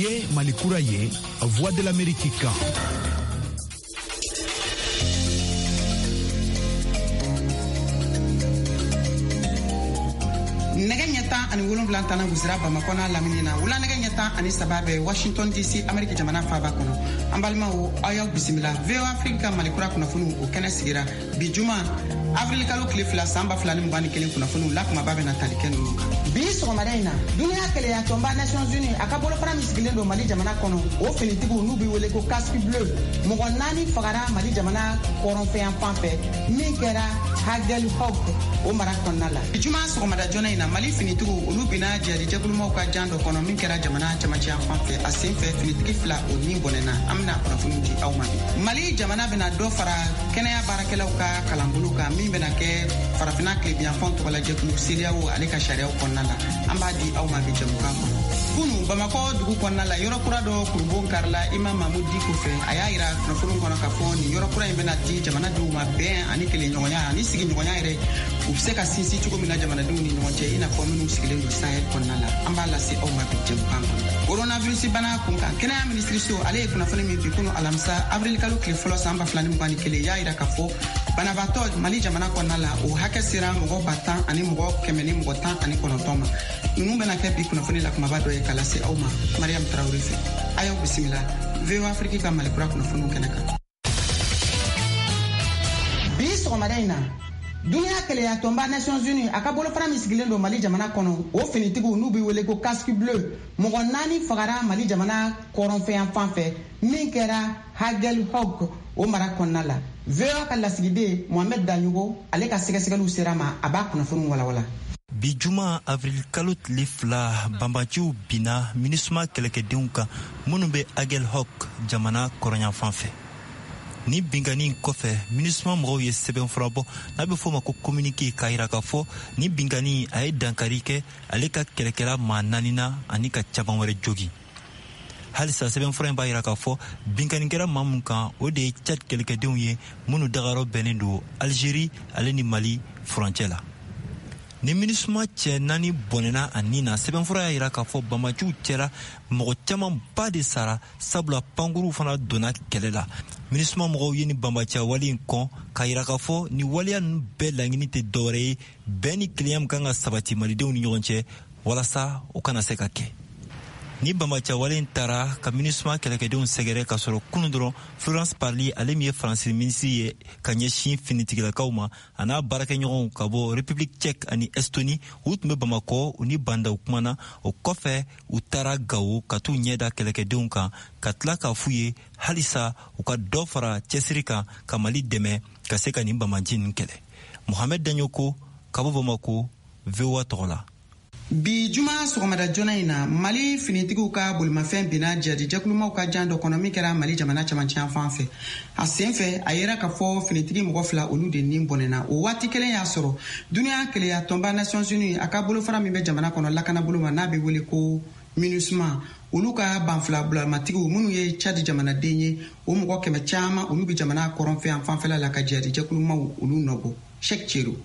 Ye Mali kura ye, Voix de l'Amérique kan. Nɛgɛ ɲɛ 17 tana gosira Bamakɔ n'a lamini na, wula nɛgɛ ɲɛ 13 bɛ Washington DC, Ameriki jamana faaba kɔnɔ. An balimaw, aw y'aw bisimila VOA Afrique ka Mali kura kunnafoniw o kɛnɛ sigira bi juma avril kalo tile 2 san 2021. Kunnafoniw la kumaba bɛna tali kɛ ninnu kan bi sɔgɔmada in na: duniya kelenya tɔnba Nations Unies a ka bolofara min sigilen don Mali jamana kɔnɔ, o finitigiw n'u bɛ wele ko casque bleu, mɔgɔ naani fagara Mali jamana kɔrɔnfɛyanfan fɛ min kɛra Aguelhok o mara kɔnɔna la. Juma sɔgɔmada joona in na, Mali finitigiw olu binna jihadi jɛkulumaw ka jan dɔ kɔnɔ min kɛra jamana camancɛyanfan fɛ. A sen fɛ, finitigi fila o ni bɔnɛna. An bɛna kunnafoni di aw ma bi. Mali jamana bɛna dɔ fara kɛnɛya baarakɛlaw ka kalanbolo kan min bɛna kɛ Farafina tilebiyanfanw tɔgɔla jɛkulu CEDEAO ale ka sariyaw kɔnɔna la. An b'a di aw ma bi jɛmukan kɔnɔ. Kunu, Bamakɔ dugu kɔnɔna la, yɔrɔ kura dɔ kurubon karila Imam Mahmoud Dicko fɛ. A y'a yira kunnafoni kɔnɔ k'a fɔ nin yɔrɔ kura in bɛna di jamanadenw ma, bɛn ani kelenɲɔgɔnya ani sigiɲɔgɔnya yɛrɛ u bɛ se ka sinsin cogo min na jamanadenw ni ɲɔgɔn cɛ, i n'a fɔ minnu sigilen don Sahel kɔnɔna la. An b'a lase aw ma bi jɛmukan kɔnɔ. Coronavirus bana kun kan, kɛnɛya minisiriso ale ye kunnafoni min bi kunu alamisa avril kalo tile fɔlɔ san 2021, y'a yira k'a fɔ banabaatɔ Mali jamana kɔnɔna la, o hakɛ sera mɔgɔ ba 10 ani mɔgɔ kɛmɛ ni mɔgɔ 19 ma. Ninnu bɛna kɛ bi kunnafoni la kumaba dɔ ye ka lase aw ma Mariam Tarawele fɛ. A y'aw bisimila VOA Afrique ka Mali kura kunnafoniw kɛnɛ kan bi sɔgɔmada in na. Duniya kelenya tɔnba Nations Unies a ka bolofara min sigilen don Mali jamana kɔnɔ, o finitigiw n'u bɛ wele ko casque bleu, mɔgɔ naani fagara Mali jamana kɔrɔnfɛyanfan fɛ min kɛra Aguelhok o mara kɔnɔna la. VOA ka lasigiden Mohamed Dagnoko ale ka sɛgɛsɛgɛliw sera ma, a b'a kunnafoniw walawala. Bi juma avril kalo tile 2, banbaciw binna MINUSMA kɛlɛkɛdenw kan minnu bɛ Aguelhok jamana kɔrɔnyanfan fɛ. Ni binkanni in kɔfɛ, MINUSMA mɔgɔw ye sɛbɛnfura bɔ n'a bɛ fɔ o ma ko communiqué, k'a yira k'a fɔ ni binkanni a ye dankari kɛ ale ka kɛlɛkɛla maa naani na ani ka caman wɛrɛ jogi. Halisa, sɛbɛnfura in b'a yira k'a fɔ binkanni kɛra maa mun kan, o de ye Tchad kɛlɛkɛdenw ye minnu dagayɔrɔ bɛnnen don Algérie ale ni Mali furancɛ la. Ni MINUSMA cɛ naani bɔnɛna a nin na, sɛbɛnfura y'a yira k'a fɔ banbaciw cɛla mɔgɔ camanba de sara, sabula pankuruw fana donna kɛlɛ la. MINUSMA mɔgɔw ye ni banbaciya wale in kɔn, k'a yira k'a fɔ ni waleya ninnu bɛɛ laɲini tɛ dɔwɛrɛ ye, bɛn ni kelenya min kan ka sabati malidenw ni ɲɔgɔn cɛ, walasa o kana se ka kɛ. Ni banbaciya wale in taara ka MINUSMA kɛlɛkɛdenw sɛgɛrɛ k'a sɔrɔ kunu dɔrɔn, Florence Parly, ale min ye Faransi minisiri ye ka ɲɛsin finitigilakaw ma, a n'a baarakɛɲɔgɔnw ka bɔ République tchèque ani Estonie, u tun bɛ Bamakɔ, u ni bandaw kumana. O kɔfɛ, u taara Gawo ka t'u ɲɛ da kɛlɛkɛdenw kan, ka tila k'a f'u ye halisa u ka dɔ fara cɛsiri kan ka Mali dɛmɛ ka se ka nin banbanci nin kɛlɛ. Mohamɛd Dagnoko ka bɔ Bamako, VOA tɔgɔ la. Bi juma sɔgɔmada joona in na, Mali finitigiw ka bolimafɛn binna jihadi jɛkulumaw ka jan dɔ kɔnɔ min kɛra Mali jamana camancɛyanfan fɛ. A sen fɛ, a yera k'a fɔ finitigi mɔgɔ fila olu de nin bɔnɛna. O waati kelen y'a sɔrɔ duniya kelenya tɔnba Nations Unies a ka bolofara min bɛ jamana kɔnɔ lakanabolo ma n'a bɛ wele ko MINUSMA, olu ka banfula bulamatigiw minnu ye Chad jamanaden ye, o mɔgɔ 100 caman olu bɛ jamana kɔrɔnfɛ fanfɛla la ka jihadi jɛkulumaw olu nɔbɔ. Cheick Chero.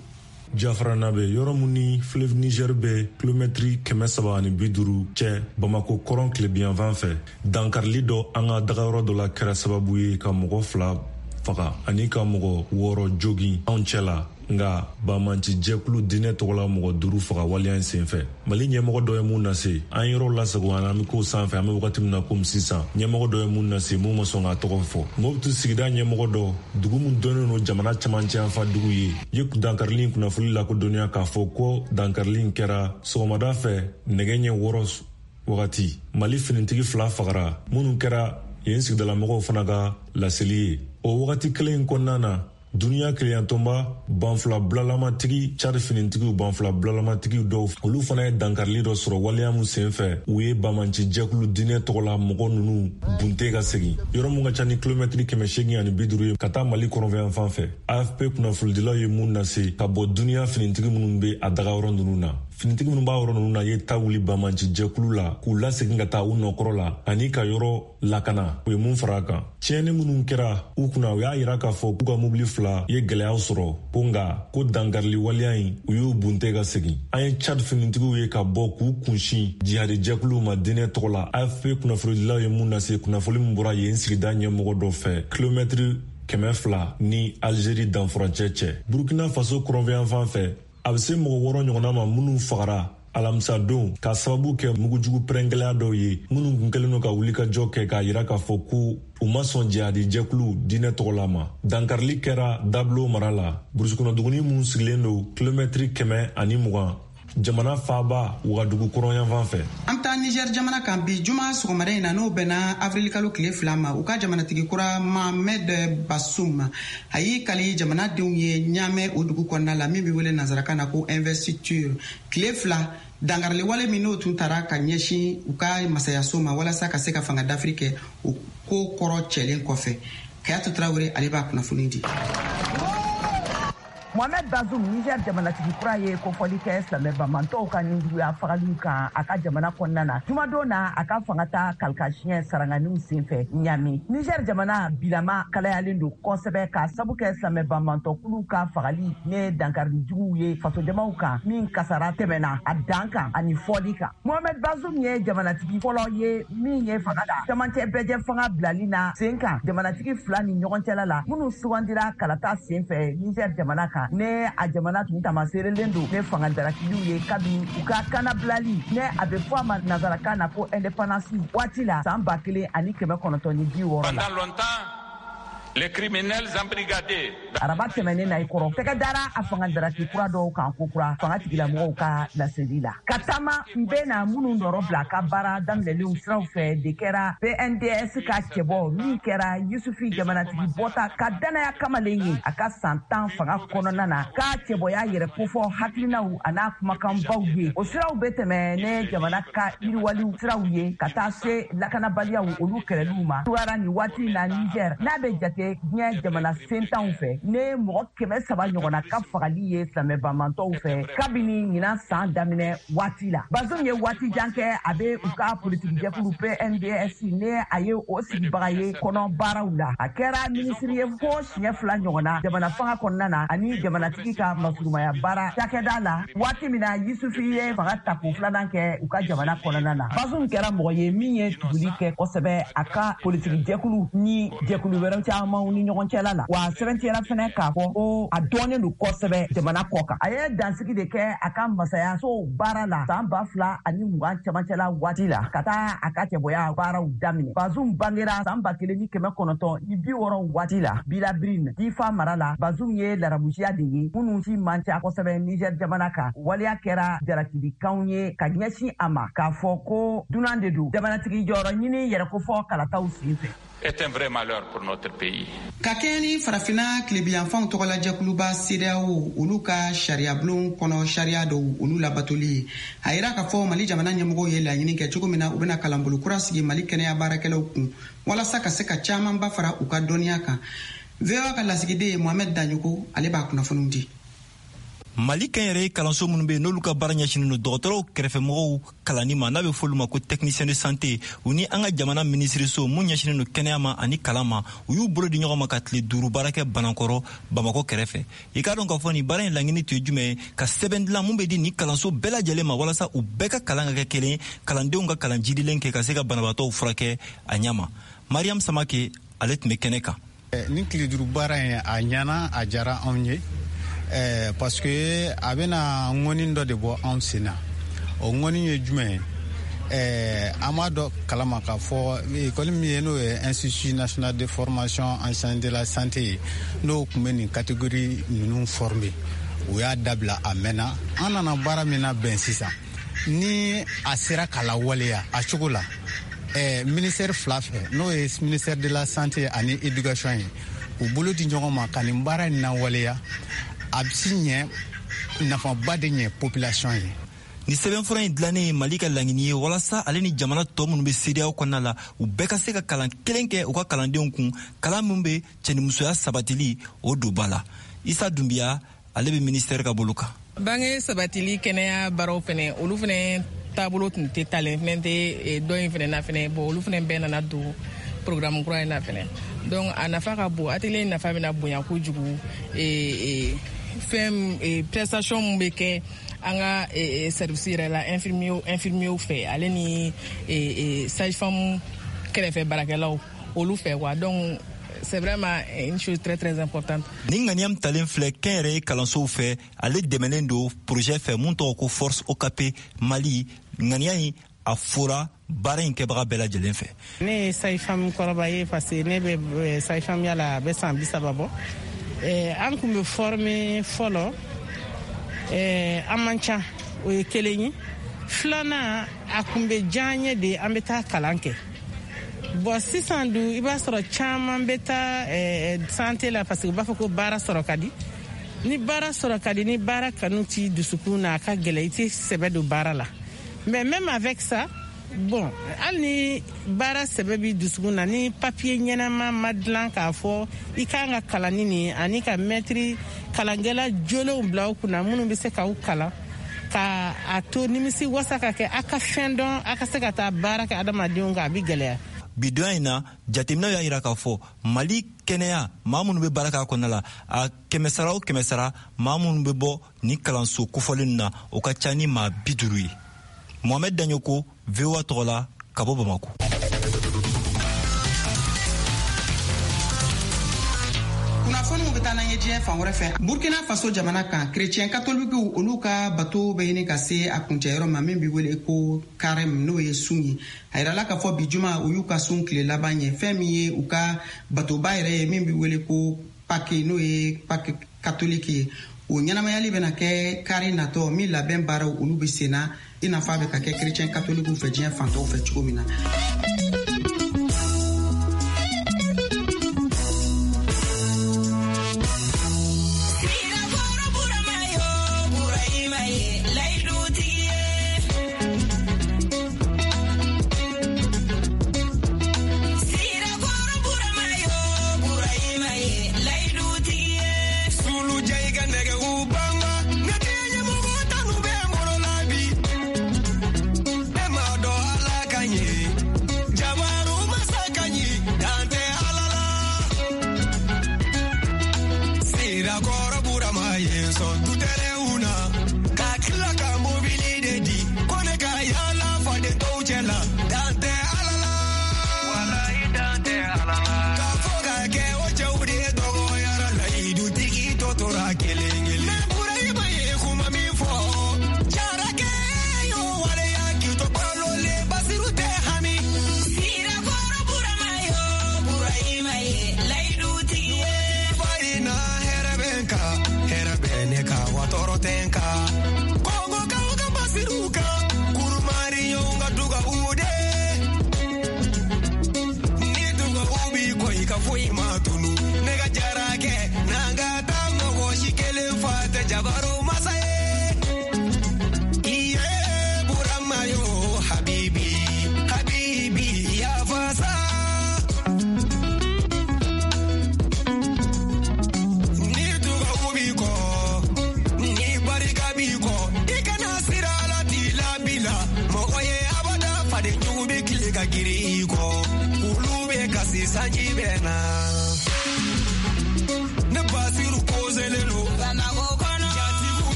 Jafarana bɛ yɔrɔ min ni fleuve Niger bɛ kilomɛtiri 350 cɛ Bamako kɔrɔn tilebiyanfan fɛ, dankarili dɔ an ka dagayɔrɔ dɔ la kɛra sababu ye ka mɔgɔ fila faga ani ka mɔgɔ wɔɔrɔ jogin anw cɛ la. Nga banbanci jɛkulu diinɛ tɔgɔla mɔgɔ duuru faga waleya in senfɛ, Mali ɲɛmɔgɔ dɔ ye mun nase an yɔrɔ lasago an bɛ kow sanfɛ. An bɛ wagati min na komi sisan, ɲɛmɔgɔ dɔ ye mun nase mun ma sɔn k'a tɔgɔ fɔ, Mopti sigida ɲɛmɔgɔ dɔ, dugu min dɔnnen don jamana camancɛyanfa dugu ye, ye dankarili in kunnafoni lakodɔnniya k'a fɔ ko dankarili in kɛra sɔgɔmada fɛ nɛgɛ ɲɛ 6 wagati. Mali finitigi fila fagara minnu kɛra yen sigidalamɔgɔw fana ka laseli ye. O wagati kelen in kɔnɔna na, duniɲa keleyatɔnba banfula bulalamatigi Cadi finitigiw banfula bulalamatigiw dɔw, olu fana ye dankarili dɔ sɔrɔ waleya min sen fɛ, u ye banbanci jɛkulu diinɛ tɔgɔla mɔgɔ nunu bunte ka segin yɔrɔ mun ka ca ni kilomɛtiri 850 ye ka taa Mali kɔrɔnfɛyanfan fɛ. AFP kunnafonidilaw ye mun nase ka bɔ duniɲa finitigi minnu be a dagayɔrɔ nunu na. Finitigi minnu b'a yɔrɔ ninnu na ye ta wuli banbanci jɛkulu la k'u lasegin ka taa u nɔkɔrɔ la ani ka yɔrɔ lakana. U ye mun fara a kan, tiɲɛni minnu kɛra u kunna, u y'a yira k'a fɔ k'u ka mobili 2 ye gɛlɛyaw sɔrɔ, ko nka ko dankarili waleya in, u y'u bunte ka segin. An ye Chad finitigiw ye ka bɔ k'u kunsin jihadi jɛkuluw ma diinɛ tɔgɔ la. AFP kunnafonidilaw ye mun lase, kunnafoni min bɔra yen sigida ɲɛmɔgɔ dɔ fɛ, kilomɛtiri 200 ni Algérie danfurancɛ cɛ. Burkina Faso kɔrɔnfɛyanfan fɛ, a bɛ se mɔgɔ 6 ɲɔgɔnna ma minnu fagara alamisadon k'a sababu kɛ mugujugu pɛrɛngɛlɛya dɔw ye, minnu kun kɛlen don ka wulikajɔ kɛ k'a yira k'a fɔ ko u ma sɔn jihadi jɛkulu diinɛ tɔgɔ la ma. Dankarili kɛra Dablo mara la, burusikɔnɔduguni mun sigilen don kilomɛtiri 120 jamana faaba Wagadugu kɔrɔnyanfan fɛ. An taa Niger jamana kan bi juma sɔgɔmada in na, n'o bɛnna avrilikalo tile 2 ma. U ka jamanatigi kura Mohamed Bazoum, a y'i kali jamanadenw ye Ɲamɛ, o dugu kɔnɔna la min bɛ wele nansarakan na ko investiture. Tile 2 dankariliwale min n'o tun tara ka ɲɛsin u ka masayaso ma walasa ka se ka fanga dafiri kɛ, o ko kɔrɔ cɛlen kɔfɛ. Kayatu Tarawele, ale b'a kunnafoni di. Mohamed Bazoum, Niger jamanatigi kura, ye kofɔli kɛ silamɛ banbantɔw ka ninjuguya fagaliw kan a ka jamana kɔnɔna na jumadon na, a ka fanga ta kalikasiɲɛ saranganiw senfɛ Ɲami. Niger jamana bilama kalayalen don kosɛbɛ k'a sabu kɛ silamɛ banbantɔkuluw ka fagali ne dankarili juguw ye fasojamaw kan, min kasara tɛmɛna a dan kan ani fɔli kan. Mohamed Bazoum ye jamanatigi fɔlɔ ye min ye fanga ta camancɛ bɛɛjɛ fanga bilali na sen kan jamanatigi fila ni ɲɔgɔn cɛla la minnu sugandira kalata sen fɛ Niger jamana kan. Ne a jamana tun tamaseerelen don ne fanga darakiliw ye kabini u ka kanabilali, ne a bɛ fɔ a ma nansarakan na ko indépendance, waati la san 1960 la. Les criminels embrigadés. Araba tɛmɛnen na, i kɔrɔ tɛgɛ dara a fanga daraki kura dɔw kan ko kura, fanga tigilamɔgɔw ka laseli la. Ka taama n bɛ na minnu nɔrɔ bila ka baara daminɛlenw siraw fɛ de kɛra PNDS ka cɛbɔ min kɛra Yusufi jamanatigi bɔta ka danaya kamalen ye a ka san 10 fanga kɔnɔna na, ka cɛbɔya yɛrɛ kofɔ hakilinaw an'a kumakanbaw ye. O siraw bɛ tɛmɛ ne jamana ka yiriwaliw siraw ye ka taa se lakanabaliyaw olu kɛlɛliw ma. Tugara nin waati na Niger, n'a bɛ jate diɲɛ jamana sentanw fɛ, ne mɔgɔ 300 ɲɔgɔnna ka fagali ye silamɛ banbantɔw fɛ kabini ɲinan san daminɛ waati la. Bazoum ye waati jan kɛ a bɛ u ka politiki jɛkulu PNDS, ne a ye o sigibaga ye, kɔnɔ baaraw la. A kɛra minisiri ye fo siɲɛ 2 ɲɔgɔnna jamana fanga kɔnɔna na ani jamanatigi ka masurumaya baara cakɛda la, waati min na Yusufi ye fanga tako filanan kɛ u ka jamana kɔnɔna na. Bazoum kɛra mɔgɔ ye min ye tuguli kɛ kosɛbɛ a ka politiki jɛkulu ni jɛkulu wɛrɛw camanw ni ɲɔgɔn cɛla la, wa sɛbɛntiyara fɛnɛ k'a fɔ ko a dɔnnen don kosɛbɛ jamana kɔ kan. A ye dansigi de kɛ a ka masaya so baara la san 2020 camancɛla waati la ka taa a ka cɛbɔya baaraw daminɛ. Bazum bangera san 1960 waati la Bilabrin, Difa mara la. Bazum ye larabusiya de ye minnu si man ca kosɛbɛ Niger jamana kan. Waleya kɛra jarakilikanw ye ka ɲɛsin a ma k'a fɔ ko dunan de don jamanatigi jɔyɔrɔ ɲini yɛrɛkofɔ kalataw sen fɛ. Est un vrai malheur pour notre pays. Ka kɛɲɛ ni Farafina tilebiyanfanw tɔgɔlajɛkuluba CEDEAO, olu ka sariyabulon kɔnɔ sariya dɔw olu labatoli ye, a yira k'a fɔ Mali jamana ɲɛmɔgɔw ye laɲini kɛ cogo min na, u bɛna kalanbolo kura sigi Mali kɛnɛya baarakɛlaw kun walasa ka se ka caamanba fara u ka dɔnniya kan. VOA ka lasigiden Mohamed Daɲogo, ale b'a kunnafoniw di. Mali kɛnyɛrɛye kalanso minnu bɛ yen, n'olu ka baara ɲɛsinnen don dɔgɔtɔrɔw kɛrɛfɛmɔgɔw kalanni ma, n'a bɛ f'olu ma ko technicien de santé, u ni an ka jamana minisiriso mun ɲɛsinnen don kɛnɛya ma ani kalan ma, u y'u bolo di ɲɔgɔn ma ka tile 5 baara kɛ Banankɔrɔ, Bamakɔ kɛrɛfɛ. I k'a dɔn k'a fɔ nin baara in laɲini tun ye jumɛn ye? Ka sɛbɛn dilan mun bɛ di nin kalanso bɛɛ lajɛlen ma walasa u bɛɛ ka kalan ka kɛ kelen, kalandenw ka kalan jidilen kɛ ka se ka banabaatɔw furakɛ a ɲɛ ma. Mariam Samake, ale tun bɛ kɛnɛ kan. Nin tile 5 baara in, a ɲana, a diyara anw ye, parce que a bɛna ŋɔni dɔ de bɔ anw sen na. O ŋɔni ye jumɛn ye? An b'a dɔn kalama k'a fɔ école min ye, n'o ye Institut national de formation en sciences de la santé ye, n'o tun bɛ nin catégorie ninnu former, u y'a dabila a mɛnna. An nana baara min na bɛn sisan, ni a sera ka lawaleya a cogo la ministère fila fɛ, n'o ye ministère de la santé ani éducation ye, u bolo di ɲɔgɔn ma ka nin baara in lawaleya, a bɛ si ɲɛ nafaba de ɲɛ population ye. Ni sɛbɛnfura in dilannen ye Mali ka laɲini ye walasa ale ni jamana tɔ minnu bɛ CEDEAO kɔnɔna la, u bɛɛ ka se ka kalan kelen kɛ u ka kalandenw kun, kalan min bɛ cɛnimusoya sabatili o don ba la. Isa Dunbiya, ale bɛ ministère ka bolo kan. Bange sabatili kɛnɛya baaraw fɛnɛ, olu fɛnɛ taabolo tun tɛ talen fɛnɛ tɛ dɔ in fɛnɛ na fɛnɛ. Bon, olu fɛnɛ bɛɛ nana don programme kura in na fɛnɛ. Donc a nafa ka bon, atelier in nafa bɛna bonya kojugu. Fɛn prestation mun bɛ kɛ an ka service yɛrɛ la, infirmier fɛ, ale ni sage femme kɛrɛfɛ baarakɛlaw olu fɛ quoi. Donc c'est vraiment une chose très très importante. Nin ŋaniya min talen filɛ kɛnyɛrɛye kalansow fɛ, ale dɛmɛlen don projet fɛ mun tɔgɔ ko Force OCAP Mali. Ŋaniya in a fora baara in kɛbaga bɛɛ lajɛlen fɛ. Ne ye sage-femme kɔrɔba ye, parce que ne bɛ sage-femme ya la, a bɛ san 30 bɔ. An kun bɛ former fɔlɔ, an man ca, o ye kelen ye. Filanan, a kun bɛ diya an ye de an bɛ taa kalan kɛ. Bon, sisan dun, i b'a sɔrɔ caman bɛ taa santé la, parce que u b'a fɔ ko baara sɔrɔ ka di. Ni baara sɔrɔ ka di, ni baara kanu t'i dusukun na, a ka gɛlɛn i tɛ sɛbɛ don baara la. Mais même avec ça, bon, hali ni baara sɛbɛ b'i dusukun na, ni papier ɲɛnama ma dilan k'a fɔ i kan ka kalan ni nin, ani ka mɛtiri kalankɛla jolenw bila aw kunna minnu bɛ se k'aw kalan ka a to nimisi wasa ka kɛ, a ka fɛn dɔn, a ka se ka taa baara kɛ adamadenw kan, a bɛ gɛlɛya. Bidonya in na, jateminɛw y'a yira k'a fɔ Mali kɛnɛya maa minnu bɛ baara k'a kɔnɔna la, a 100 o 100, maa minnu bɛ bɔ nin kalanso kofɔlen na, o ka ca ni maa 50 ye. Mohamed Dagnoko, VOA tɔgɔ la, ka bɔ Bamako. Kunnafoniw bɛ taa n'an ye diɲɛ fan wɛrɛ fɛ. Burkina Faso jamana kan, chrétien katolikiw olu ka bato bɛ ɲini ka se a kuncɛyɔrɔ ma, min bɛ wele ko carême, n'o ye sun ye. A yirala k'a fɔ bi juma, o y'u ka sun tile laban ye. Fɛn min ye u ka batoba yɛrɛ ye, min bɛ wele ko Pâques, n'o ye Pâques katoliki ye, o ɲɛnamayali bɛna kɛ kari natɔ min labɛn baaraw olu bɛ sen na, i n'a fɔ a bɛ ka kɛ chrétien katolikiw fɛ diɲɛ fantɔw fɛ cogo min na.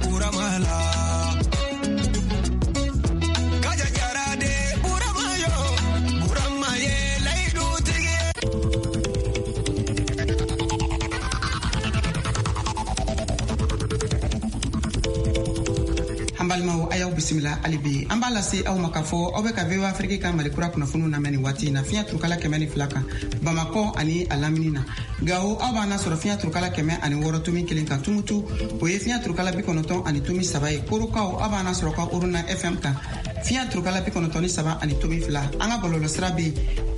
Burama la. Bisimila hali bi. An b'a lase aw ma k'a fɔ aw bɛ ka VOA Afrique ka Mali kura kunnafoniw lamɛn nin waati in na fiɲɛ turukala 102 kan Bamakɔ ani a lamini na. Gawo, aw b'an nasɔrɔ fiɲɛ turukala 106.1 kan. Tumutu, o ye fiɲɛ turukala 93.3 ye. Korokaw, aw b'an nasɔrɔ ka Oruna FM kan, fiɲɛ turukala 93.2. An ka bɔlɔlɔsira bɛ yen,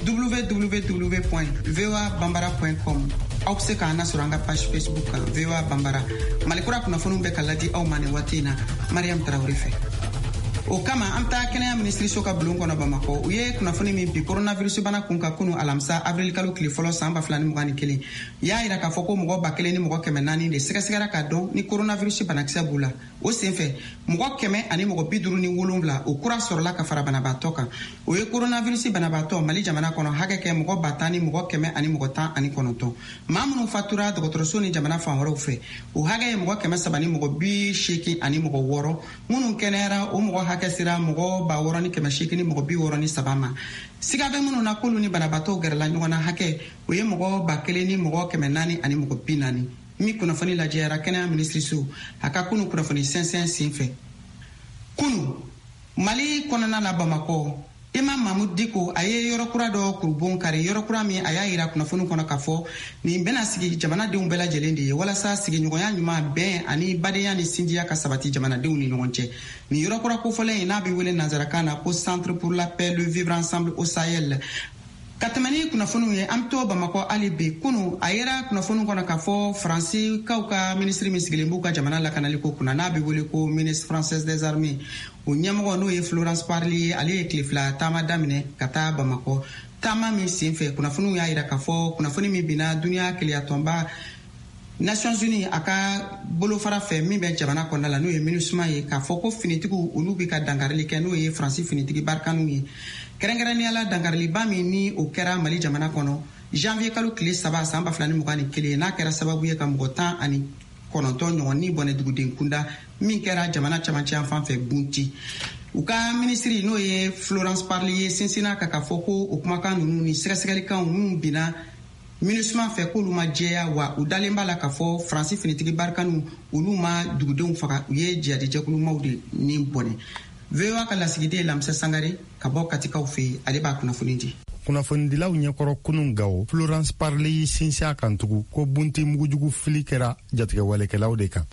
www.voabambara.com. Aw bɛ se k'an nasɔrɔ an ka page Facebook kan, VOA Bambara. Mali kura kunnafoniw bɛ ka ladi aw ma nin waati in na Mariam Tarawele fɛ. O kama, an bɛ taa kɛnɛya minisiriso ka bulon kɔnɔ Bamakɔ. U ye kunnafoni min bi coronavirus bana kun kan kunu alamisa, avril kalo tile fɔlɔ, san 2021, y'a yira k'a fɔ ko mɔgɔ 1400 de sɛgɛsɛgɛra k'a dɔn ni coronavirus banakisɛ b'u la. O senfɛ, mɔgɔ 157, o kura sɔrɔla ka fara banabaatɔ kan. O ye coronavirus banabaatɔ Mali jamana kɔnɔ hakɛ kɛ mɔgɔ 10119. Maa minnu fatura dɔgɔtɔrɔso ni jamana fan wɛrɛw fɛ, o hakɛ ye mɔgɔ 386. Minnu kɛnɛyara, o mɔgɔ hakɛ sera mɔgɔ 6863 ma. Siga bɛ minnu na k'olu ni banabaatɔw gɛrɛla ɲɔgɔn na hakɛ, o ye mɔgɔ 1440. Min kunnafoni lajɛyara kɛnɛya minisiriso a ka kunu kunnafoni sɛnsɛn sen fɛ kunu Mali kɔnɔna na Bamakɔ, Imam Mahmud Diko, a ye yɔrɔ kura dɔ kurubon kari, yɔrɔ kura min a y'a yira kunnafoni kɔnɔ k'a fɔ nin bɛna sigi jamanadenw bɛɛ lajɛlen de ye, walasa sigiɲɔgɔnya ɲuman, bɛn ani badenya ni sinjiya ka sabati jamanadenw ni ɲɔgɔn cɛ. Nin yɔrɔ kura kofɔlen in n'a bɛ wele nanzarakan na ko Centre pour la paix, le vivre ensemble au Sahel. Ka tɛmɛ ni kunnafoniw ye, an bɛ to Bamakɔ hali bi. Kunu, a yera kunnafoniw kɔnɔ k'a fɔ Faransikaw ka minisiri min sigilen b'u ka jamana lakanaliko kunna, n'a bɛ wele ko ministre française des armées, o ɲɛmɔgɔ, n'o ye Florence Parly ye, ale ye tile 2 taama daminɛ ka taa Bamakɔ. Taama min senfɛ, kunnafoniw y'a yira k'a fɔ kunnafoni min binna duniya keleyatɔnba Nations Unies a ka bolofara fɛ min bɛ jamana kɔnɔna la, n'o ye MINUSMA ye, k'a fɔ ko finitigiw, olu bɛ ka dankarili kɛ, n'o ye Faransi finitigi Barkhane ye, kɛrɛnkɛrɛnnenya la dankariliba min ni o kɛra Mali jamana kɔnɔ janvier kalo tile 3, san 2021, n'a kɛra sababu ye ka mɔgɔ 19 ɲɔgɔn ni bɔnɛ duguden kunda, min kɛra jamana camancɛ yan fan fɛ Bunti. U ka minisiri, n'o ye Florence Parly ye, sinsinna ka k'a fɔ ko o kumakan ninnu ni sɛgɛsɛgɛlikanw minnu binna MINUSMA fɛ, k'olu ma jɛya, wa u dalen b'a la k'a fɔ Faransi finitigi Barkhane, olu ma dugudenw faga, u ye jihadijɛkulumaw de ni bɔnɛ. VOA ka lasigiden Lamisa Sangare ka bɔ Katikaw fɛ yen, ale b'a kunnafoni di. Kunnafonidilaw ɲɛkɔrɔ kunun Gawo, Florence Parly y'i sinsin a kan tugun ko Bunti mugujugu fili kɛra jatigɛwalekɛlaw de kan.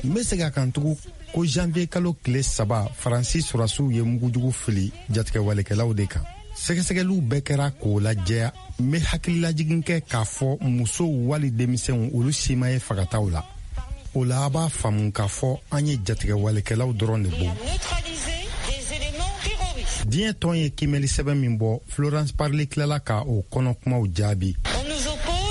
N bɛ segin a kan tugun ko janvier kalo tile 3, Faransi sɔrɔdasiw ye mugujugu fili jatigɛwalekɛlaw de kan. Sɛgɛsɛgɛliw bɛɛ kɛra k'o lajɛya. N bɛ hakililajigin kɛ k'a fɔ musow wali denmisɛnw, olu si ma ye fagataw la. O la, a b'a faamu k'a fɔ an ye jatigɛwalekɛlaw dɔrɔn de bon. Diɲɛ tɔn ye kiimɛli sɛbɛn min bɔ, Florence Parly tilala ka o kɔnɔ kumaw jaabi.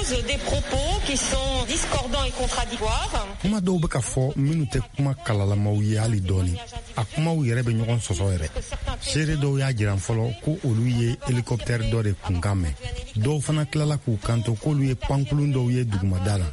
Des propos qui sont discordants et contradictoires. Kuma dɔw bɛ ka fɔ minnu tɛ kuma kalalamaw ye hali dɔɔni. A kumaw yɛrɛ bɛ ɲɔgɔn sɔsɔ yɛrɛ. Seere dɔw y'a jiran fɔlɔ ko olu ye hélicoptère dɔ de kunkan mɛn. Dɔw fana tilala k'u kanto k'olu ye pankurun dɔw ye dugumada la,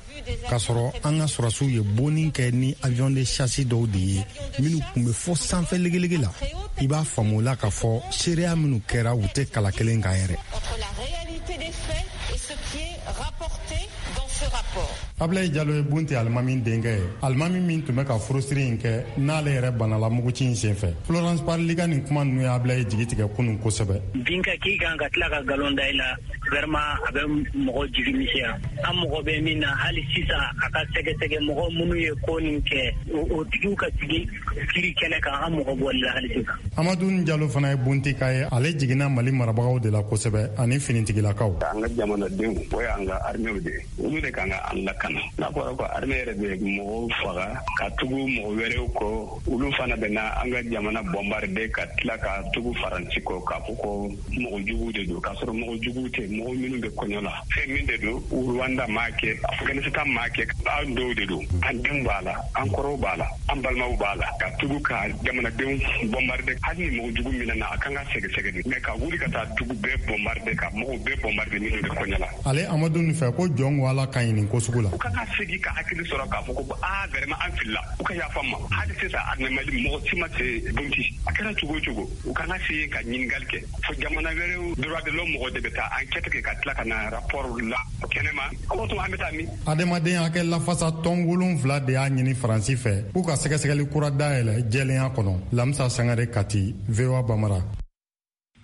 k'a sɔrɔ an ka sɔrɔdasiw ye bonni kɛ ni avion de chasse dɔw de ye minnu tun bɛ fɔ sanfɛ legelege la. I b'a faamu o la k'a fɔ seereya minnu kɛra, u tɛ kala kelen kan yɛrɛ. Entre la réalité des faits et ce qui est rapporté dans ce rapport. Abilayi Jalo ye Bunti alimami denkɛ ye, alimami min tun bɛ ka furusiri in kɛ, n'ale yɛrɛ banala muguci in senfɛ. Florence Parly ka nin kuma ninnu ye Abilayi jigi tigɛ kunun kosɛbɛ. Bin ka k'i kan ka tila ka nkalon da i la, vraiment a bɛ mɔgɔ jigi misɛnya. An mɔgɔ bɛ min na hali sisan, a ka sɛgɛsɛgɛ mɔgɔ minnu ye ko nin kɛ, o tigiw ka sigi kiri kɛnɛ kan. An mɔgɔ bɔli la hali sisan. Amadu Jalo fana ye Buntika ye. Ale jiginna Mali marabagaw de la kosɛbɛ ani finitigilakaw. An ka jamanadenw, o y'an ka armée de ye, olu de kan ka an lakana. N'a fɔra ko armée yɛrɛ bɛ mɔgɔw faga ka tugu mɔgɔ wɛrɛw kɔ, olu fana bɛ na an ka jamana bombarder, ka tila ka tugu Faransi kɔ k'a fɔ ko mɔgɔ juguw de don, k'a sɔrɔ mɔgɔ juguw tɛ, mɔgɔ minnu bɛ kɔɲɔ la. Fɛn min de don, Rwanda m'a kɛ, Afghanistan m'a kɛ, an dɔw de don. An denw b'a la, an kɔrɔw b'a la, an balimaw b'a la. Ka tugu ka jamanadenw bombarder, hali ni mɔgɔ jugu min na, a kan ka sɛgɛsɛgɛ de, mais ka wuli ka taa dugu bɛɛ bombarder, ka mɔgɔw bɛɛ bombarder minnu bɛ kɔɲɔ la. Ale Amadu nin fɛ ko jɔn ko Ala ka ɲi nin ko sugu la. U kan ka segin ka hakili sɔrɔ k'a fɔ ko aa vraiment an filila, u ka yafa ma. Hali sisan armée Mali mɔgɔ si ma se bunti. A kɛra cogo o cogo, u kan ka segin ka ɲininkali kɛ fo jamana wɛrɛw droit de l'homme mɔgɔ de bɛ taa enquête kɛ ka tila ka na rapport la kɛnɛma. O tuma an bɛ taa min? Adamadenya hakɛ lafasa tɔn 7 de y'a ɲini Faransi fɛ k'u ka sɛgɛsɛgɛli kura dayɛlɛ jɛlenya kɔnɔ. Lamisa Sangare, Kati, VOA Bambara.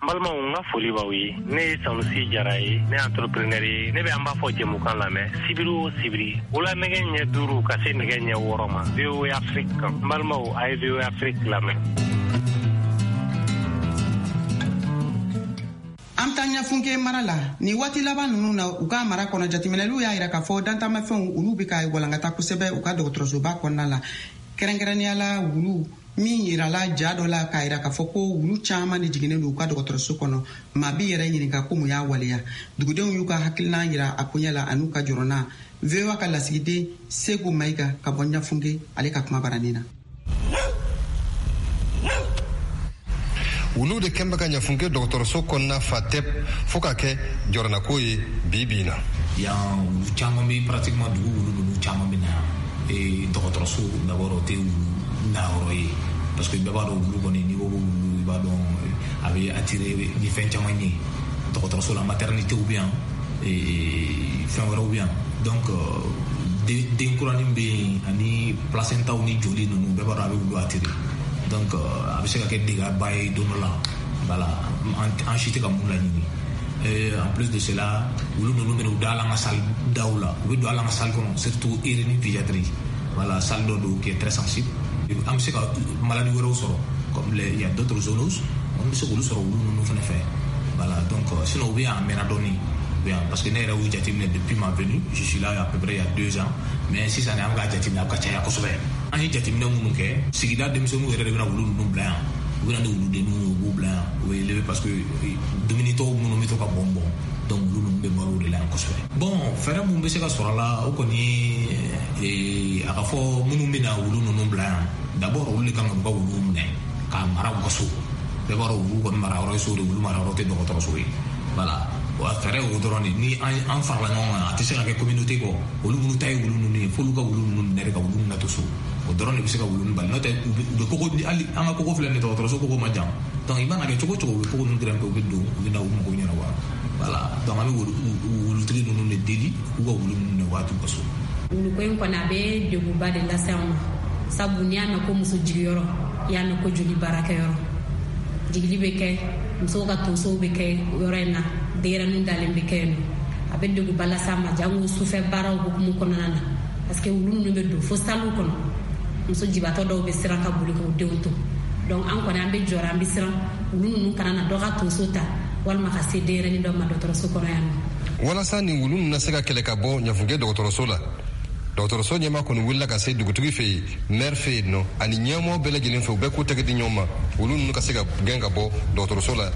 N balimaw, n ka foli b'aw ye. Ne ye Sanusi Jara ye, ne ye entrepreneur ye. Ne bɛ an b'a fɔ jɛmukan lamɛn sibiri o sibiri, wula nɛgɛ ɲɛ 5 ka se nɛgɛ ɲɛ 6 ma, VOA Afrique kan. N balimaw, a ye VOA Afrique lamɛn. An taa Ɲafunke mara la. Nin waati laban ninnu na, u ka mara kɔnɔ, jateminɛliw y'a yira k'a fɔ dantamafɛnw, olu bɛ ka walankata kosɛbɛ u ka dɔgɔtɔrɔsoba kɔnɔna la, kɛrɛnkɛrɛnnenya la wulu min yirala ja dɔ la k'a yira k'a fɔ ko wulu caman de jiginnen don u ka dɔgɔtɔrɔso kɔnɔ. Maa b'i yɛrɛ ɲininka ko mun y'a waleya. Dugudenw y'u ka hakilina yira a koɲɛ la an'u ka jɔrɔna. VOA ka lasigiden Segu Mayiga ka bɔ Ɲafunke, ale ka kuma baranin na. Wulu de kɛn bɛ ka Ɲafunke dɔgɔtɔrɔso kɔnɔna fa tɛp fo ka kɛ jɔrɔnako ye bi bi in na. Yan, wulu caman bɛ, pratiquement dugu wulu ninnu caman bɛ na yan dɔgɔtɔrɔso. D'abord, o tɛ wulu nayɔrɔ ye, parce que bɛɛ b'a dɔn, wulu kɔni, n'i ko ko wulu, i b'a dɔn a bɛ attirer ni fɛn caman ye dɔgɔtɔrɔso la. Maternité bɛ yan, fɛn wɛrɛw bɛ yan. Donc den kuranin bɛ yen ani placentaw ni joli ninnu, bɛɛ b'a dɔn a bɛ wulu attirer. Donc a bɛ se ka kɛ dégâts ba ye don dɔ la. Voilà, an si tɛ ka mun laɲini. En plus de cela, wulu ninnu bɛ u da an ka salle daw la, u bɛ don an ka salle kɔnɔ, surtout ni pédiatrie. Voilà, salle dɔ don qui est très sensible. An bɛ se ka maladie wɛrɛw sɔrɔ, comme les, il y a d'autres zoonoses, an bɛ se k'olu sɔrɔ wulu ninnu fana fɛ. Voilà, donc sinon u bɛ yan a mɛnna dɔɔni, u bɛ yan, parce que ne yɛrɛ y'u jateminɛ depuis ma venue. Je suis là à peu près il y a 2 ans, mais sisan an bɛ k'a jateminɛ, a bɛ ka caya kosɛbɛ. An ye jateminɛ minnu kɛ, sigida denmisɛnninw yɛrɛ de bɛna wulu ninnu bila yan. U bɛ na ni wuludenninw ye, u b'u bila yan, u bɛ élever, parce que dumuni tɔw minnu bɛ to ka bɔn bɔn, donc wulu ninnu bɛ balo o de la yan kosɛbɛ. Bon, fɛɛrɛ mun bɛ se ka sɔrɔ a la, o kɔni ye a ka fɔ minnu bɛna wulu ninnu bila yan, d'abord olu de kan ka u ka wulu minɛ k'a mara u ka so. Bɛɛ b'a dɔn wulu kɔni mara yɔrɔ ye so de, wulu mara yɔrɔ tɛ dɔgɔtɔrɔso ye. Voilà, wa fɛɛrɛ o dɔrɔn de. Ni an farala ɲɔgɔn kan, a tɛ se ka kɛ communauté kɔ. Olu minnu ta ye wulu ninnu ye, f'olu ka wulu ninnu minɛ de ka wulu ninnu to so. O dɔrɔn de bɛ se ka wulu ninnu bali. N'o tɛ, u bɛ kogo, hali an ka kogo filɛ nin ye, dɔgɔtɔrɔso kogo man jan. Donc i mana kɛ cogo o cogo, u bɛ kogo ninnu grimper, u bɛ don, u bɛ na u mago ɲɛnabɔ. Voilà, donc an bɛ wulutigi ninnu de deli k'u ka wulu ninnu minɛ waati u ka so. Wuluko in kɔni, a bɛ degunba de lase an ma, sabu n'i y'a mɛn ko muso jigiyɔrɔ, i y'a mɛn ko joli baarakɛyɔrɔ. Jigili bɛ kɛ, musow ka tonsow bɛ kɛ yɔrɔ in na, denyɛrɛninw dalen bɛ kɛ yen nɔ. A bɛ degunba lase an ma, jango sufɛ baaraw hukumu kɔnɔna na, parce que wulu ninnu bɛ don fo saliw kɔnɔ. Muso jibatɔ dɔw bɛ siran ka boli k'u denw to. Donc an kɔni, an bɛ jɔrɔ, an bɛ siran wulu ninnu kana na dɔ ka tonso ta walima ka se denyɛrɛnin dɔ ma dɔgɔtɔrɔso kɔnɔ yan nɔ. Walasa nin wulu ninnu na se ka kɛlɛ ka bɔ Ɲafunke dɔgɔtɔrɔso la, dɔgɔtɔrɔso ɲɛma kɔni wulila ka se dugutigi fɛ yen, maire fɛ yen nɔ, ani ɲɛmɔgɔ bɛɛ lajɛlen fɛ. U bɛɛ k'u tɛgɛ di ɲɔgɔn ma, wulu ninnu ka se ka gɛn ka bɔ dɔgɔtɔrɔso la.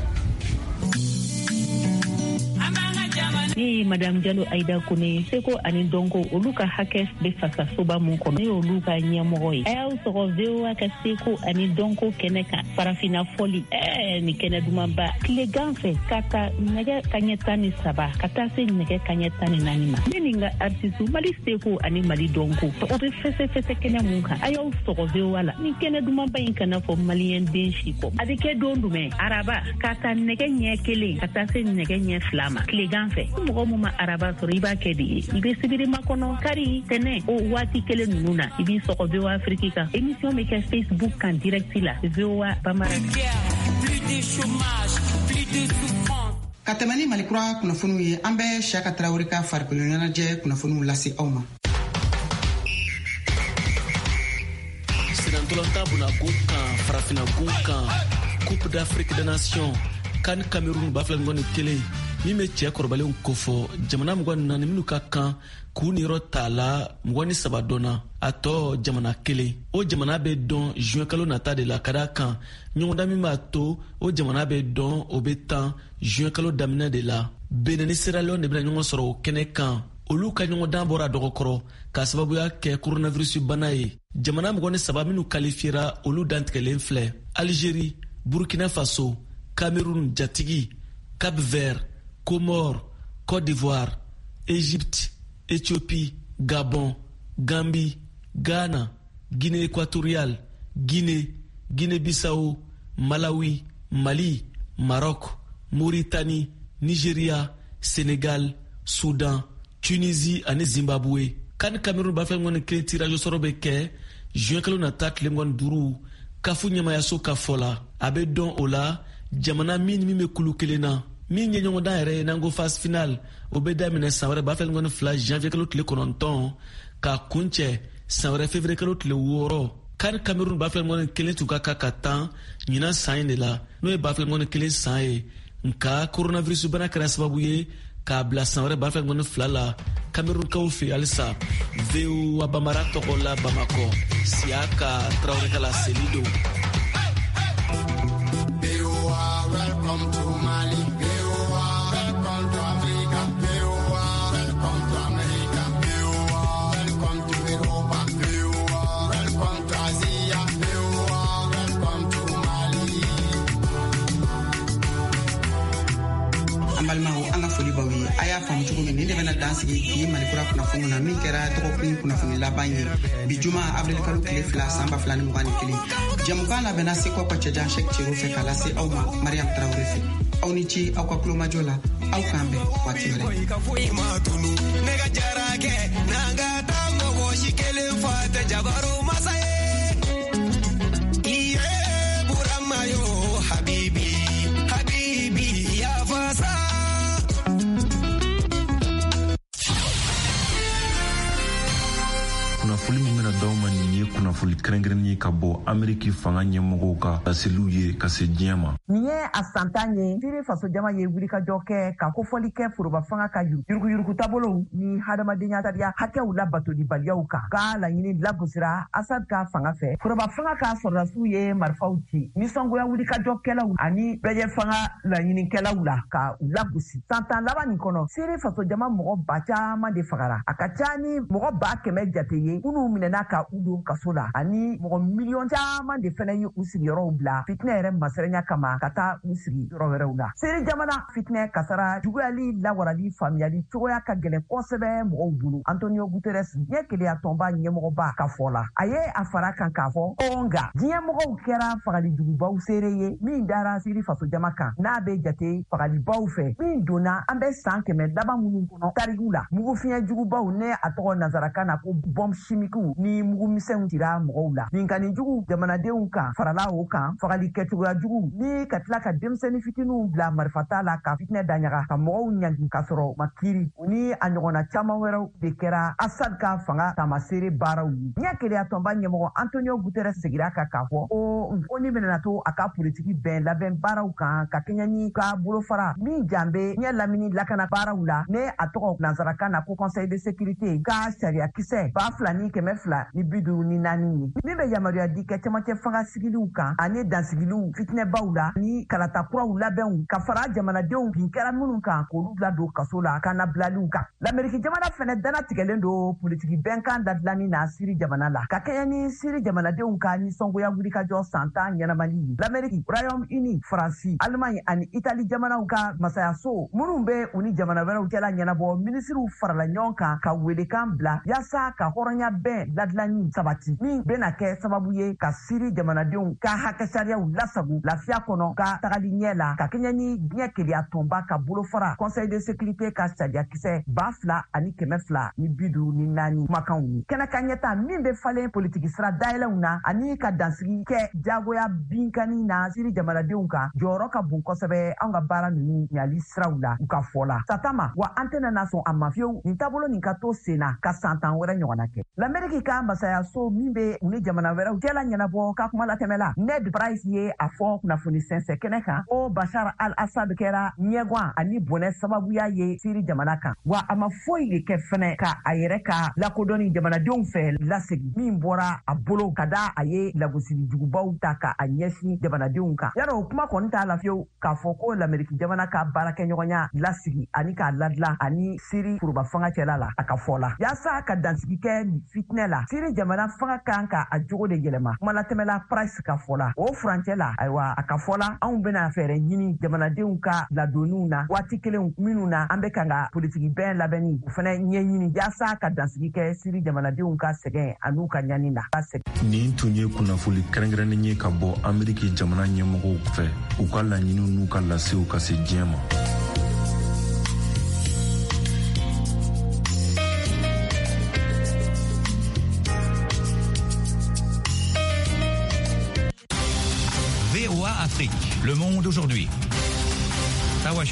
Ne ye Madame Jalo Aida Kone. Seko ani dɔnko, olu ka hakɛ bɛ fasasoba mun kɔnɔ, ne y'olu ka ɲɛmɔgɔ ye. A y'aw sɔgɔ VOA ka seko ani dɔnko kɛnɛ kan, Farafina fɔli. Ɛɛ, nin kɛnɛ dumanba, tilegan fɛ ka ta nɛgɛ kaɲɛ 13 ka taa se nɛgɛ kaɲɛ 14 ma, ne ni n ka artiste, Mali seko ani Mali dɔnko, o bɛ fɛsɛfɛsɛ kɛnɛ mun kan, a y'aw sɔgɔ VOA la. Nin kɛnɛ dumanba in kana fɔ maliyɛn den si kɔ. A bɛ kɛ don jumɛn? Araba, ka ta nɛgɛ ɲɛ 1 ka taa se nɛgɛ ɲɛ 2 ma tilegan fɛ. Mɔgɔ mun ma araba sɔrɔ, i b'a kɛ de ye, i bɛ sibiri makɔnɔ, kari, tɛnɛ, o waati kelen ninnu na, i b'i sɔgɔ VOA Afrique kan. Émission bɛ kɛ Facebook kan direct la, VOA Bambara. Plus de chômage, plus de souffrance. Ka tɛmɛ ni Malikura kunnafoniw ye, an bɛ Siyaka Tarawele ka farikolo ɲɛnajɛ kunnafoniw lase aw ma. Senatɔlɔntan bunagun kan, farafinagun kan, Coupe d'Afrique des Nations CAN Cameroun 2021, min bɛ cɛɛ kɔrɔbalenw kofɔ, jamana 24 minnu ka kan k'u niyɔrɔ t'a la, 23 dɔnna, a tɔ jamana kelen, o jamana bɛ dɔn juin kalo nata de la. Ka da kan ɲɔgɔndan min b'a to o jamana bɛ dɔn, o bɛ tan juin kalo daminɛ de la. Benin ni Sierra Leone de bɛna ɲɔgɔn sɔrɔ o kɛnɛ kan. Olu ka ɲɔgɔndan bɔra dɔgɔkɔrɔ k'a sababuya kɛ coronavirus bana ye. Jamana 23 minnu kalifiyera, olu dantigɛlen filɛ: Algérie, Burkina Faso, Cameroun jatigi, Cap Vert, Comore, Côte d'Ivoire, Égypte, Éthiopie, Gabon, Gambie, Ghana, Guinée équatoriale, Guinée, Guinée-Bissau, Malawi, Mali, Maroc, Mauritanie, Nigeria, Sénégal, Soudan, Tunisie ani Zimbabwe. CAN Cameroun 2021 tirage au sort bɛ kɛ juin kalo nata tile 25 kafu ɲɛmayaso ka fɔ la. A bɛ dɔn o la jamana min ni min bɛ kulu kelen na. Min ye ɲɔgɔndan yɛrɛ ye n'an ko phase finale, o bɛ daminɛ san wɛrɛ 2022 janvier kalo tile 9 ka kuncɛ san wɛrɛ février kalo tile 6. CAN Cameroun 2021 tun ka kan ka tan ɲinan san in de la, n'o ye 2021 san ye, nka coronavirus bana kɛra sababu ye k'a bila san wɛrɛ 2022 la Camerounkaw fɛ halisa. VOA Bambara tɔgɔ la Bamakɔ, Siyaka Tarawele ka laseli don. VOA, welcome to Mali. VOA, welcome to Africa. VOA, welcome to America. VOA, welcome to Europa. VOA, welcome to Asia. VOA, welcome to Mali. An balimaw, an ka foli b'aw ye. A y'a faamu cogo min, nin de bɛna dan sigi bi Malikura kunnafoniw na, min kɛra dɔgɔkun kunnafoni laban ye, bi juma avril kalo tile 2 san 2021. Jɛmukan labɛnna Seko ka cɛjan Sɛk Cero fɛ, k'a lase aw ma Mariam Tarawele fɛ. Aw ni ci aw ka kulomajɔ la. Aw k'an bɛn waati wɛrɛ. Ne ka jarakɛ n'an ka taa mɔgɔ si kelen fa tɛ jabaru masa ye. Iye Burama yo habibi habibi ya fasa. Kunnafoli min bɛna d'aw ma nin ye kunnafoli kɛrɛnkɛrɛnnen ye ka bɔ Ameriki fanga ɲɛmɔgɔw ka laseliw ye ka se diɲɛ ma. Nin ye a san 10 ye Siri fasojama ye wulikajɔ kɛ ka kofɔli kɛ foroba fanga ka yuruguyurugu taabolow ni hadamadenya sariya hakɛw labatolibaliyaw kan, ka laɲini lagosira Asad ka fanga fɛ. Foroba fanga ka sɔrɔdasiw ye marifaw ci nisɔngoya wulikajɔkɛlaw ani bɛɛjɛ fanga laɲinikɛlaw la ka u lagosi. San 10 laban nin kɔnɔ, Siri fasojama mɔgɔ ba caman de fagara, a ka ca ni mɔgɔ 100 000 jate ye minnu minɛna ka u don kaso la, ani mɔgɔ miliyɔn caman de fɛnɛ ye u sigiyɔrɔw bila fitinɛ yɛrɛ masiranya kama ka taa u sigi yɔrɔ wɛrɛw la. Siri jamana fitinɛ kasara juguyali lawarali faamuyali cogoya ka gɛlɛn kosɛbɛ mɔgɔw bolo, Antonio Guterres, diɲɛ keleya tɔnba ɲɛmɔgɔba ka fɔ la. A ye a fara kan k'a fɔ ko nka diɲɛ mɔgɔw kɛra fagalijugubaw seere ye min dara Siri fasojama kan, n'a bɛ jate fagalibaw fɛ min donna an bɛ san 100 laban minnu kɔnɔ tariku la. Mugu fiɲɛ jugubaw, ne a tɔgɔ nansarakan na ko bombe chimiquew, ni mugu misɛnw cira mɔgɔw la. Binkanni jugu jamanadenw kan farala o kan, fagali kɛcogoya jugu ni ka tila ka denmisɛnnin fitininw bila marifata la ka fitinɛ daɲaga, ka mɔgɔw ɲangi ka sɔrɔ ma kiiri, o ni a ɲɔgɔnna caman wɛrɛw de kɛra Asad ka fanga taamasere baaraw ye. Diɲɛ keleya tɔnba ɲɛmɔgɔ Antonio Guterres segira kan k'a fɔ ko ONU bɛna to a ka politiki bɛn labɛn baaraw kan ka kɛɲɛ ni ka bolofara min jan bɛ diɲɛ lamini lakana baaraw la, ne a tɔgɔ nansarakan na ko Conseil de sécurité ka sariya kisɛ 2254 ye, min bɛ yamaruya di kɛ cɛmancɛ fanga sigiliw kan ani dansigiliw fitinɛbaw la ni kalata kuraw labɛnw, ka fara jamanadenw bin kɛra minnu kan k'olu ladon kaso la ka nabilaliw kan. Lameriki jamana fɛnɛ danatigɛlen don politiki bɛnkan ladilanni na Siri jamana la, ka kɛɲɛ ni Siri jamanadenw ka nisɔngoya wulikajɔ san 10 ɲɛnamali ye. Lameriki, Royaume Uni, Faransi, Allemagne ani Itali jamanaw ka masayaso minnu bɛ u ni jamana wɛrɛw cɛla ɲɛnabɔ, minisiriw farala ɲɔgɔn kan ka welekan bila yaasa ka hɔrɔnya bɛn ladilanni sabati, min bɛna kɛ sababu ye ka Siri jamanadenw ka hakɛ sariyaw lasago lafiya kɔnɔ ka tagali ɲɛ la, ka kɛɲɛ ni diɲɛ keleya tɔnba ka bolofara Conseil de sécurité ka sariyakisɛ 2254 kumakanw ye. Kɛnɛ ka ɲɛta min bɛ falen politiki sira dayɛlɛnw na ani ka dansigi kɛ jagoya binkanni na Siri jamanadenw kan, jɔyɔrɔ ka bon kosɛbɛ anw ka baara ninnu ɲali siraw la, u ka fɔ la. Satama wa an tɛna na sɔn a ma fiyewu nin taabolo nin ka to sen na ka san 10 wɛrɛ ɲɔgɔnna kɛ. Lameriki ka masayaso min bɛ u ni jamana wɛrɛw cɛla ɲɛnabɔ ka kuma latɛmɛla Ned Price ye a fɔ kunnafoni sɛnsɛn kɛnɛ kan ko Bashar al-Assad kɛra ɲɛgwan ani bɔnɛ sababuya ye Siri jamana kan, wa a ma foyi de kɛ fɛnɛ ka a yɛrɛ ka lakodɔnni jamanadenw fɛ lasegin min bɔra a bolo ka da a ye lagosili jugubaw ta ka a ɲɛsin jamanadenw kan. Yarɔ, o kuma kɔni t'a la fiyewu k'a fɔ ko Lameriki jamana ka baarakɛɲɔgɔnya lasigi ani k'a ladilan ani Siri foroba fanga cɛla la. A ka fɔ la, yaasa ka dansigi kɛ nin fitinɛ la, Siri jamana fanga kan ka ka a jogo de yɛlɛma. Kumalatɛmɛla Price ka fɔ la, o furancɛ la, ayiwa, a ka fɔ la, anw bɛna fɛɛrɛ ɲini jamanadenw ka ladonniw na waati kelenw minnu na an bɛ kan ka politiki bɛn labɛnni o fana ɲɛɲini yaasa ka dansigi kɛ Siri jamanadenw ka sɛgɛn an'u ka ɲani na. Nin tun ye kunnafoli kɛrɛnkɛrɛnnen ye ka bɔ Ameriki jamana ɲɛmɔgɔw fɛ, u ka laɲiniw n'u ka lasew ka se diɲɛ ma. VOA Afrique, le monde aujourd'hui.